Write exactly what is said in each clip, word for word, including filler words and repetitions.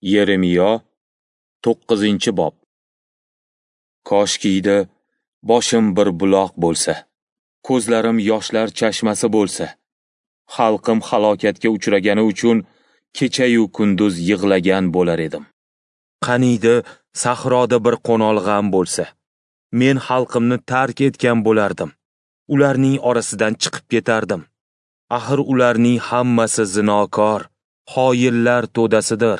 Yeremiyo, to'qqizinchi bob. Koshkiydi boshim bir buloq bo'lsa, ko'zlarim yoshlar chashmasi bo'lsa, xalqim halokatga uchragani uchun kecha-yu kunduz yig'lagan bo'lar edim. Qaniydi sahroda bir qo'nolg'am bo'lsa, men xalqimni tark etgan bo'lardim, ularning orasidan chiqib ketardim. Axir ularning hammasi zinokor, xoinlar to'dasidir.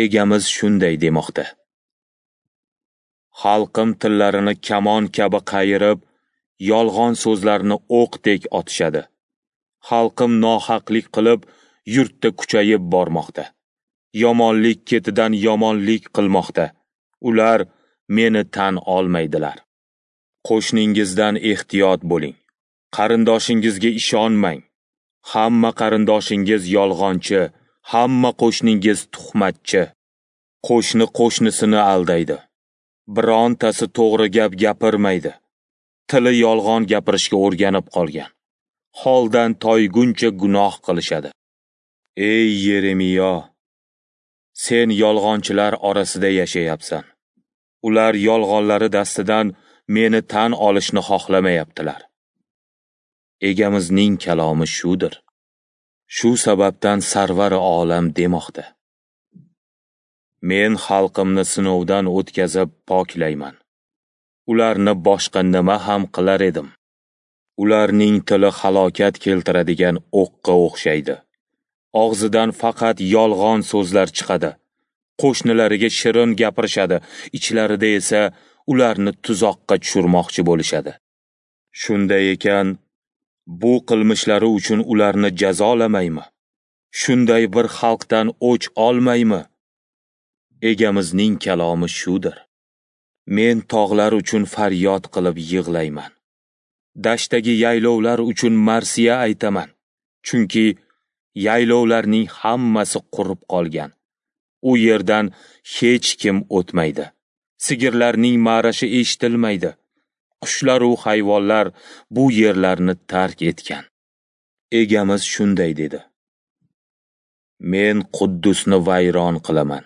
Egamiz shunday demoqda: Xalqim tillarini kamon kabi qayirib, yolg'on so'zlarni o'qdek otishadi. Xalqim nohaqlik qilib, yurtda kuchayib bormoqda. Yomonlik ketidan yomonlik qilmoqda. Ular meni tan olmaydilar. Qo'shningizdan ehtiyot bo'ling. Qarindoshingizga ishonmang. Hamma qarindoshingiz yolg'onchi, hamma qo'shningiz tuhmatchi. Qo'shni qo'shnisini aldaydi. Birontasi to'g'ri gap gapirmaydi. Tili yolg'on gapirishga o'rganib qolgan. Holdan toyguncha gunoh qilishadi. Ey Yeremiyo, sen yolg'onchilar orasida yashayapsan. Ular yolg'onlari dastidan meni tan olishni xohlamayaptilar. Egamizning kalomi shudir. Shu sababdan Sarvar olam demoqda: Men xalqimni sinovdan o'tkazib poklayman. Ularni boshqa nima ham qilar edim? Ularning tili halokat keltiradigan o'qqa o'xshaydi. Og'zidan faqat yolg'on so'zlar chiqadi. Qo'shnilariga shirin gapirishadi, ichlarida esa ularni tuzoqqa tushirmoqchi bo'lishadi. Shunday ekan, bu qilmishlari uchun ularni jazolamaymi? Shunday bir xalqdan o'ch olmaymi? Egamizning kalomi shudir. Men tog'lar uchun faryod qilib yig'layman. Dashtdagi yaylovlar uchun marsiya aytaman. Chunki yaylovlarning hammasi qurib qolgan. U yerdan hech kim o'tmaydi. Sigirlarning ma'rashi eshitilmaydi. Qushlar u hayvonlar bu yerlarni tark etgan. Egamiz shunday dedi: Men Quddusni vayron qilaman.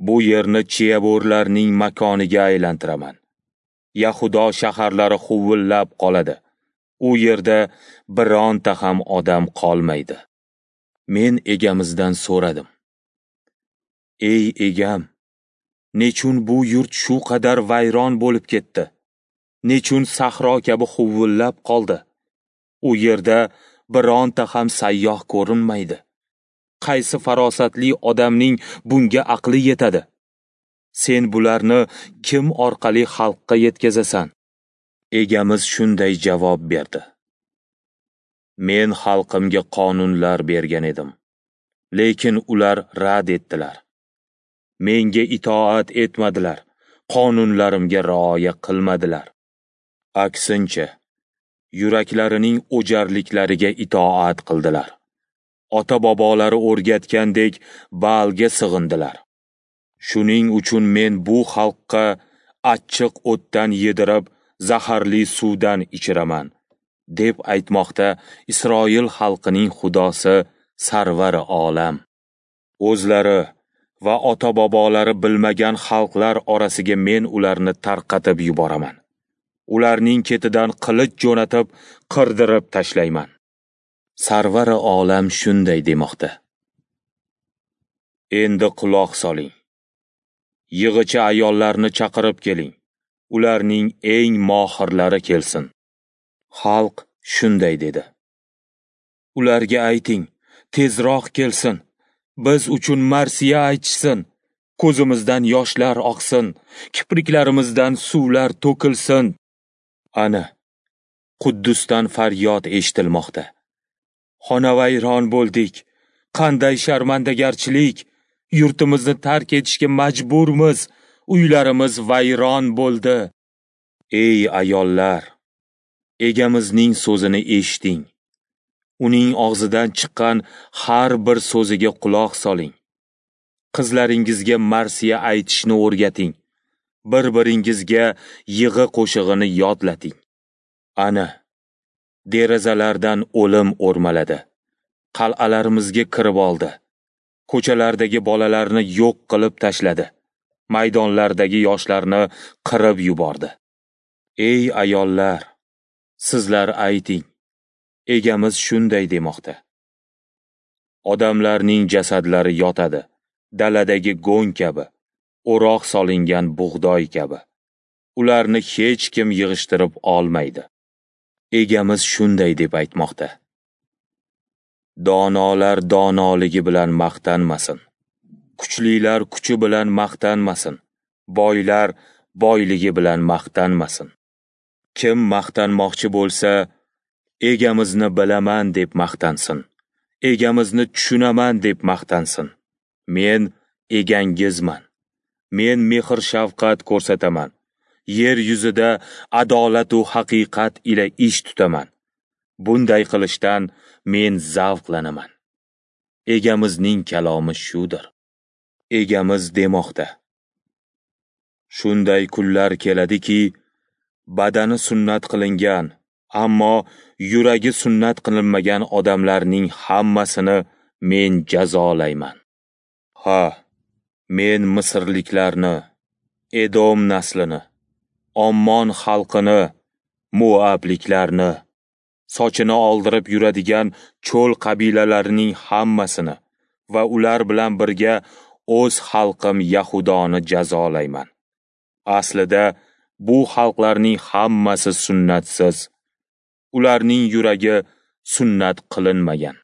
Bu yerni chiyabo'rlarning makoniga aylantiraman. Yahudo shaharlari huvillab qoladi. U yerda bironta ham odam qolmaydi. Men egamizdan so'radim: Ey egam, nechun bu yurt shu qadar vayron bo'lib ketdi? Nechun sahro kabi huvillab qoldi? U yerda bironta ham sayyoh ko'rinmaydi. Qaysi farosatli odamning bunga aqli yetadi? Sen bularni kim orqali xalqqa yetkazasan? Egamiz shunday javob berdi: Men xalqimga qonunlar bergan edim, lekin ular rad etdilar. Menga itoat etmadilar, qonunlarimga rioya qilmadilar. Aksincha, yuraklarining o'jarliklariga itoat qildilar. Ota-bobolari o'rgatgandek Baalga sig'indilar. Shuning uchun men bu xalqqa achchiq o'tdan yedirib, zaharli suvdan ichiraman, deb aytmoqda Isroil xalqining Xudosi Sarvar olam. O'zlari va ota-bobolari bilmagan xalqlar orasiga men ularni tarqatib yuboraman. Ularning ketidan qilich jo'natib, qirdirib tashlayman. Sarvar olam shunday demoqda: Endi quloq soling. Yig'ichi ayollarni chaqirib keling. Ularning eng mohirlari kelsin. Xalq shunday dedi: Ularga ayting, tezroq kelsin. Biz uchun marsiya aytishsin. Ko'zimizdan yoshlar oqsin, kipriklarimizdan suvlar to'kilsin. Ana, Quddusdan faryod eshitilmoqda. Xonavayron bo'ldik. Qanday sharmandagarchilik! Yurtimizni tark etishga majburmiz. Uylarimiz vayron bo'ldi. Ey ayollar, egamizning so'zini eshiting. Uning og'zidan chiqqan har bir so'ziga quloq soling. Qizlaringizga marsiya aytishni o'rgating. Bir-biringizga yig'i qo'shig'ini yodlating. Ana, derazalardan o'lim o'rmaladi. Qal'alarimizga kirib oldi. Ko'chalardagi bolalarni yo'q qilib tashladi. Maydonlardagi yoshlarni qirib yubordi. Ey ayollar, sizlar ayting, Egamiz shunday demoqda. Odamlarning jasadlari yotadi, daladagi go'ng kabi, o'roq solingan bug'doy kabi. Ularni hech kim yig'ishtirib olmaydi. Egamiz shunday deb aytmoqda. Donolar donoligi bilan maqtanmasin. Kuchlilar kuchi bilan maqtanmasin. Boylar boyligi bilan maqtanmasin. Kim maqtanmoqchi bo'lsa, Egamizni bilaman deb maqtansin. Egamizni tushunaman deb maqtansin. Men egangizman. Men mehr-shafqat ko'rsataman. Yer yuzida adolat va haqiqat ila ish tutaman. Bunday qilishdan men zavqlanaman. Egamizning kalomi shudir. Egamiz demoqda. Shunday kunlar keladiki, badani sunnat qilingan, ammo yuragi sunnat qilinmagan odamlarning hammasini men jazolayman. Ha, men misrliklarni, Edom naslini, Ommon xalqini, Moabliklarni, sochini oldirib yuradigan cho'l qabilalarining hammasini va ular bilan birga o'z xalqim Yahudoni jazolayman. Aslida bu xalqlarning hammasi sunnatsiz. Ularning yuragi sunnat qilinmagan.